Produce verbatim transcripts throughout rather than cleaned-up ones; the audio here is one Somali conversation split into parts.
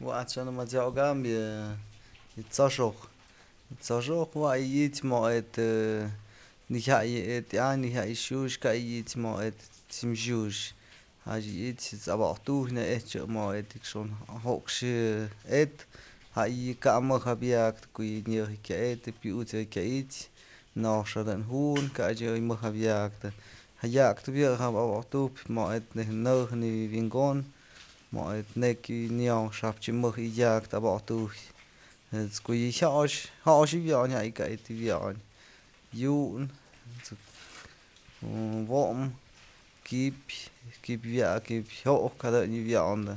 Wa'at xan matziokam yë yë t'soxoj, t'soxoj jue yë ich mo'o nëjyay ëtyam nëjyay xux kay ich mo'o ët t'sim xux jach yë ich aboktuj na'ejchë mo'o ët jokxë ët jay kap mëjëbyaktë ko'o yë nyë kya ët'së pyut's yë kya i'ixë nox jedun ju'un kach yë mëjëbyaktë jaya'aktëp yë aboktuj mo'o ët nej nëjën nëwi'inkon mo'o ët nekyë nyo'ox xap mëj yëdyaktë aboktuj ko'o yë jyox jox wyon jay kay të wyon yu'un, wo'om, ki'ipyë, ki'ipy wa'ak, ki'ipy jyo'ok jadun yë wyondë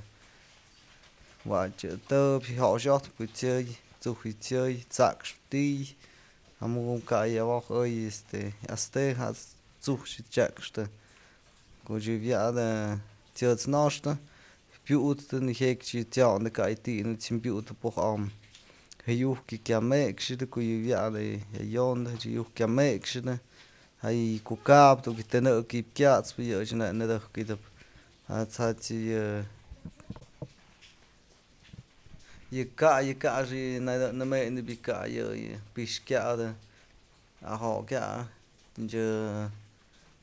wa'at yë tëpë joxyojtëp ko'o t'sëy t'suj yë t'sëy t'sax ti'i jamu'u kay awoj oy este aste jat's t'suj chyaxtë koch yë wa'atë t'syët's noxtë pyut'snë nëjëk t'syondë kay ti'i nëkx pyut'në po'oj am jayu'uk kya mekxë ko'o yë wa'atë yondë jayu'uk kya mekxënë ja'a ko'o ka'abë dun tënëk ji'ib kyat'spë yëch nak nëdëjk ydëb jat's yë, yë ka'ay yë ka'ax nëmënëp yë ka'ay yë pi'ix kyädë ajokyä tëchë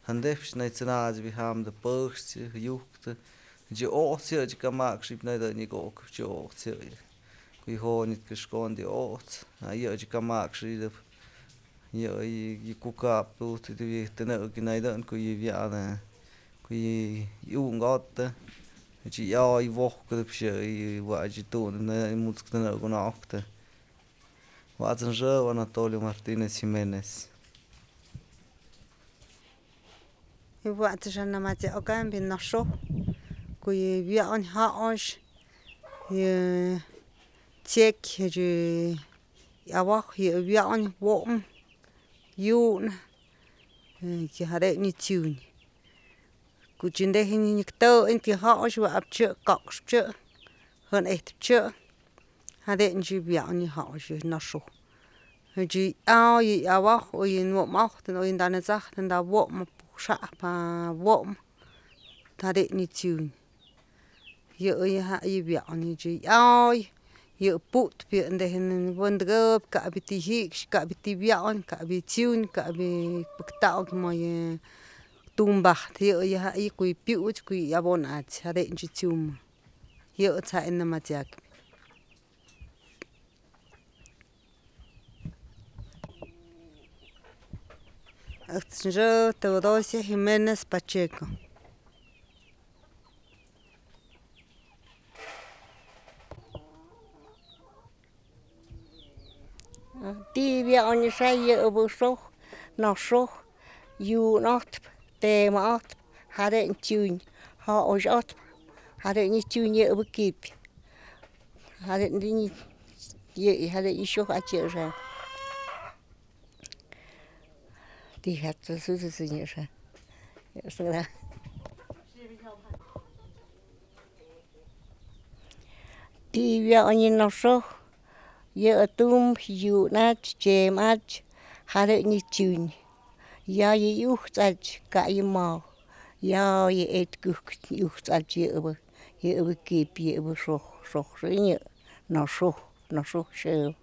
jëndëp nët'sanatë jamdë pëxtë jayujtë chyo'ots yë kamax nëdë nyëk okë chyo'ots yëyë ko'o yë jo'ot wi'it këxkondë yë o'ots yë kamax ydëb yë kuka'ap tujtë tënëk naydën ko'o yë wa'atë ko'o yë iunkë jo'otë chyoy wojkëdëp yë wach yë dun mut'skë tënëk unoktë wat's xë Anatolio Martinez Jimenez. Wat's ëch namat'siokam yë noxoj ko'o yë wyon jox yë t'syekyë ëch awoj yë wyon wo'om yu'un jade nyë t'siun koch dejë nyëk tëy të jox wa'ap chë koxpë chë jën ejtëp chë jadën chë wyon yë jox yë noxoj ëchë ya'ay yë awoj o yë womojtë o yë tanësajtë tawomëp xajpë wo'om jadën yë t'siun yëyë jay wyon chë y'ay yë putpë yë dejë wëndëkëbyë kap yë ti'i jikxë kap yë ti'i wyon kap yë t'siun kap yë pëktawë mayë tumbajtë yëyë jay ko'o yë pyuch ko'o yë abonach jadënch t'siumbë yë ëjt's jay nëmasyakpyë. Ëjt's xë Teodosia Jimenez Pacheco. Ti'i wyon xay yëbë xoj, noxoj, yu'un ojtëpë, temë ojtëpë, jadën t'siun, jox ojtëpë, jadën yë t'siun yëbë ki'ipyë jadën yëyë jadën yë xyoja'atyë yë xam. Ti'i wyon yë noxoj yë tumbë yu'un atyë t'sem atyë jadën yë t'siun ya yë iujtë atyë kay yë maw ya yë e'etkujkë iujtë atyë yëbë yëbë ki'ipyë yëbë xoj xoj xi'inyë noxoj noxoj xëbë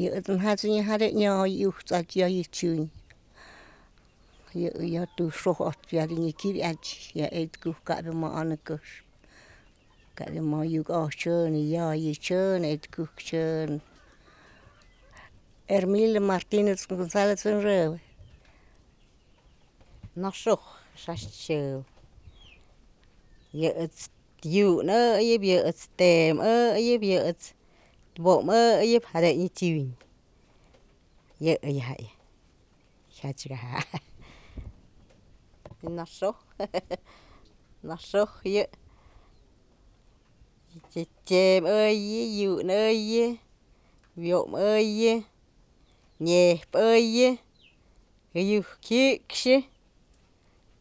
yë jat'së jadën ya iujtë atyë ya yë t'siun yë yaj xoj ojtëpë ya nyëkybyë atyë ya e'etkujkë kabë ma anëkëxpë kabë ma yukoj chyë yayi chyë e'etkujkë chyë. Hermilo Martinez Gonzalez xëbë. Noxoj xa'ax xyë yë ëjt's yu'un ëyëp, yë ëjt's temë ëyëp, yë ëjt's wo'om ëyëp jadën yë t'siun yëyë jay jyach ka'a. Noxoj noxoj yë t'sem ëyë, yu'un ëyë, wyo'om ëyë, ñejpë ëyë, jayuj jikxë,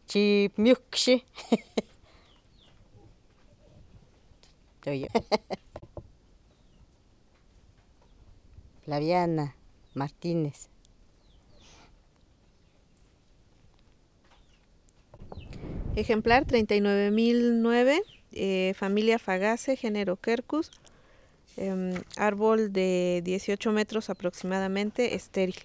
chip myukxë. Flaviana Martinez. Ejemplar treinta y nueve mil nueve. eh, familia Fagaceae, género Quercus, eh, árbol de dieciocho metros aproximadamente, estéril.